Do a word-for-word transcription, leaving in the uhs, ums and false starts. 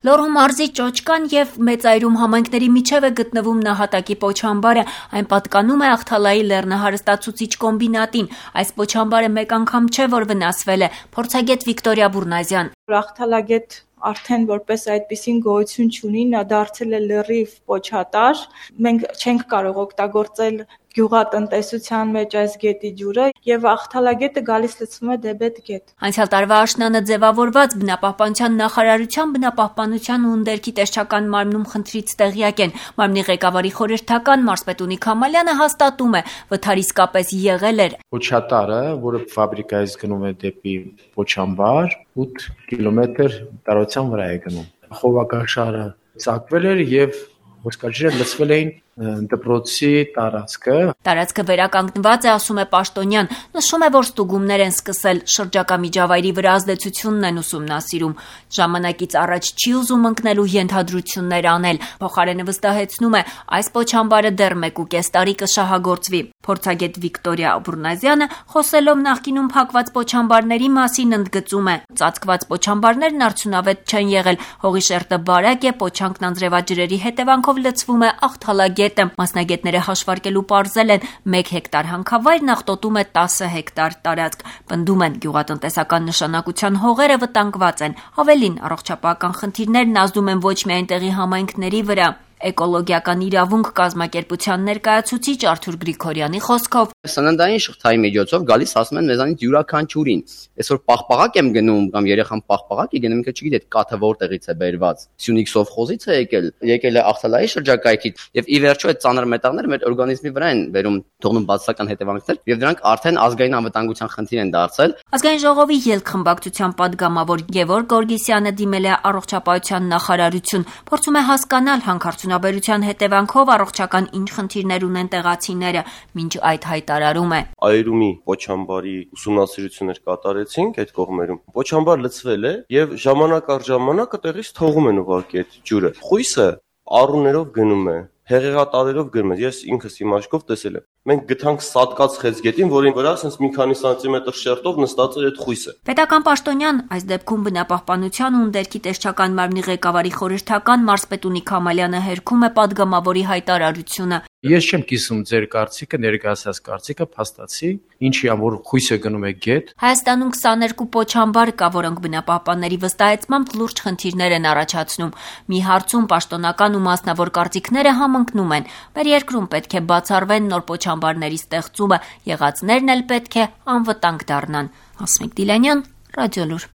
Լոռու մարզի Ճոճկան և Մեծայրում համայնքների միջև է գտնվում նահատակի պոչամբարը, այն պատկանում է Ախթալայի լեռնահարստացուցիչ կոմբինատին, այս պոչամբարը մեկ անգամ չէ, որ վնասվել է, փորձագետ Վիկտորիա Բուրնազյան: Ախթալագետ արդեն որպես այդպիսին գոյություն չունի, նա դարձել է լրիվ պոչատար, մենք չենք կարող օգտագործել գյուղատնտեսության մեջ այս գետի ջուրը և Ախթալագետը գալիս լցվում է Դեբետ գետ։ Անցյալ տարվա աշնանը ձևավորված բնապահպանության նախարարության բնապահպանության ու ընդերքի տեսչական մարմնում խնդրից տեղյակ են։ Մարմնի ղեկավարի խորհրդական Մարսպետունի Քամալյանը հաստատում է, վթար իսկապես եղել էր։ Պոչատարը, որը ֆաբրիկայից գնում է դեպի պոչամբար, ութ կիլոմետր տարածության վրա է գնում։ Խողովակաշարը ծակվել էր և ոսկրաջրերը լցվել էին դպրոցի տարածքը։ Տարածքը վերականգնված է, ասում է Պաշտոնյան, նշում է, որ ստուգումներ են սկսել, շրջակա միջավայրի վրա ազդեցությունն են ուսումնասիրում։ Ժամանակից առաջ չի ուզում ընկնելու ենթադրություններ անել, փոխարենը վստահեցնում է, այս պոչամբարը դեռ մեկ ու կես տարի կշահագործվի։ Փորձագետ Վիկտորիա Բուրնազյանը, խոսելով նախկինում փակված պոչամբարների մասին, ընդգծում է. ծածկված պոչամբարներն արդյունավետ չեն եղել, հողի շերտը բարակ է, պոչանքն անձրևաջրերի հետևանքով լցվում է Ախթալագետը։ Մասնագետները հաշվարկելու պարզել են, մեկ հեկտար հանքավայրն աղտոտում է տասը հեկտար տարածք։ Պնդում են, գյուղատնտեսական նշանակության հողերը վտանգված են։ Ավելին, առողջապահական խնդիրներն ազդում են ոչ միայն տեղի համայնքների վրա։ Էկոլոգիական իրավունք կազմակերպության ներկայացուցիչ Արթուր Գրիգորյանի խոսքով. Սննդային շղթայի միջոցով գալիս ասում են մեզանից յուրաքանչյուրին։ Այսօր պաղպաղակ եմ գնում կամ երեխան պաղպաղակ է գնում, ինքը չգիտի այդ կաթը որտեղից է բերված։ Սյունիք սովխոզից է եկել, եկել է Ախթալայի շրջակայքից, եւ ի վերջո այդ ծանր մետաղները մեր օրգանիզմի վրա են բերում թողնում բացասական հետևանքներ, եւ դրանք արդեն ազգային անվտանգության խնդիր են դարձել։ Ազգային ժողովի ելքխմբակցության падգամավոր Գևորգ Գորգիսյանը դիմել է առողջապահության նախարարություն, փորձում է հասկանալ հանքարդյունաբերության հետևանքով առողջական ինչ խնդիրներ ունեն տեղացիները, մինչ այդ հայտարարում է. Այրումի պոչամբարի ուսումնասիրություններ կատարեցինք այդ կողմերում։ Պոչամբար լցվել է եւ ժամանակ առ ժամանակ այդտեղից թողում են ուղղակի այդ ջուրը։ Խույսը առուներով գնում է, հեղեղատարերով գնում է, ես ինքս իմ աչքով տեսել եմ։ Մենք գտանք սատկած խեցգետին, որին վրա ասենց մի քանի սանտիմետր շերտով նստած էր այդ խույսը։ Պետական պաշտոնյան, այս դեպքում բնապահպանության ու ընդերքի տեսչական մարմնի ղեկավարի խորհրդական Մարսպետունի Քամալյանը հերքում է падգամավորի հայտարարությունը։ Ես չեմ կիսում ձեր կարծիքը, ներկայացած կարծիքը, փաստացի, ինչի ան որ խույսը գնում է գետ։ Հայաստանում քսաներկու պոչամբար կա, որոնք բնապահպանների վստահեցմամբ լուրջ խնդիրներ են առաջացնում։ Մի հարցում պաշտոնական ու մասնավոր կարծիքները համընկնում են։ Մեր երկրում պետք է բացառվեն նոր պոչամբարների ստեղծումը, եղածներն էլ պետք է անվտանգ դառնան։ Հասմիկ Դիլանյան, Ռադիոլուր։